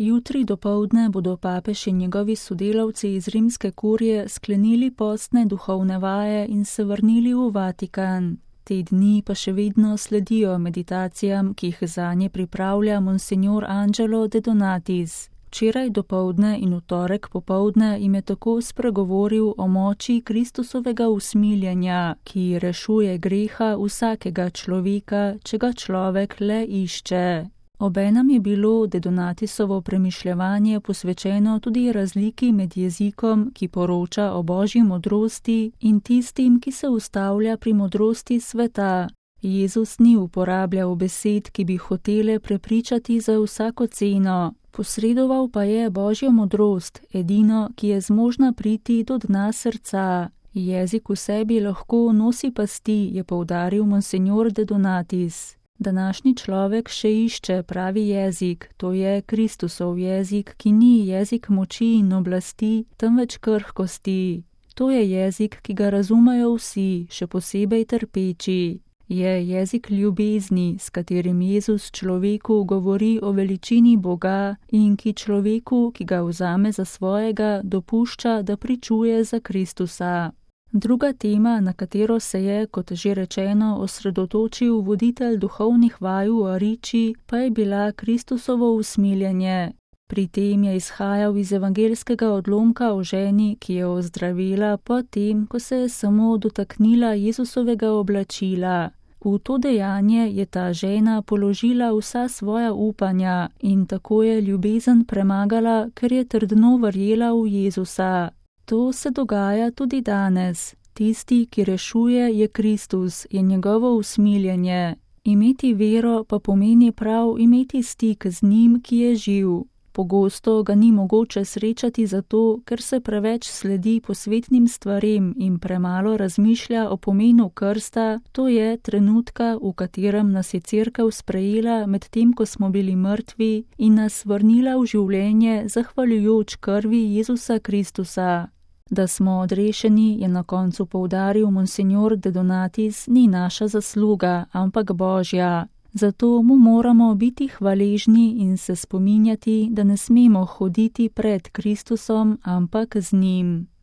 Jutri dopoldne bodo papež in njegovi sodelavci iz rimske kurije sklenili postne duhovne vaje in se vrnili v Vatikan. Te dni pa še vedno sledijo meditacijam, ki jih zanje pripravlja monsignor Angelo De Donatis. Včeraj dopoldne in v torek popoldne jim je tako spregovoril o moči Kristusovega usmiljenja, ki rešuje greha vsakega človeka, če ga človek le išče. Obenem je bilo De Donatisovo premišljevanje posvečeno tudi razliki med jezikom, ki poroča o božji modrosti, in tistim, ki se ustavlja pri modrosti sveta. Jezus ni uporabljal besed, ki bi hotele prepričati za vsako ceno. Posredoval pa je božjo modrost, edino, ki je zmožna priti do dna srca. Jezik v sebi lahko nosi pasti, je poudaril monsignor De Donatis. Današnji človek še išče pravi jezik, to je Kristusov jezik, ki ni jezik moči in oblasti, temveč krhkosti. To je jezik, ki ga razumejo vsi, še posebej trpeči. Je jezik ljubezni, s katerim Jezus človeku govori o veličini Boga in ki človeku, ki ga vzame za svojega, dopušča, da pričuje za Kristusa. Druga tema, na katero se je, kot že rečeno, osredotočil voditelj duhovnih vaj v Ariči, pa je bila Kristusovo usmiljenje. Pri tem je izhajal iz evangeljskega odlomka o ženi, ki je ozdravela po tem, ko se je samo dotaknila Jezusovega oblačila. V to dejanje je ta žena položila vsa svoja upanja in tako je ljubezen premagala, ker je trdno verjela v Jezusa. To se dogaja tudi danes. Tisti, ki rešuje, je Kristus, je njegovo usmiljenje. Imeti vero pa pomeni prav imeti stik z njim, ki je živ. Pogosto ga ni mogoče srečati zato, ker se preveč sledi posvetnim stvarem in premalo razmišlja o pomenu krsta, to je trenutka, v katerem nas je Cerkev sprejela med tem, ko smo bili mrtvi in nas vrnila v življenje zahvaljujoč krvi Jezusa Kristusa. Da smo odrešeni, je na koncu poudaril monsignor De Donatis, ni naša zasluga, ampak Božja. Zato mu moramo biti hvaležni in se spominjati, da ne smemo hoditi pred Kristusom, ampak z njim.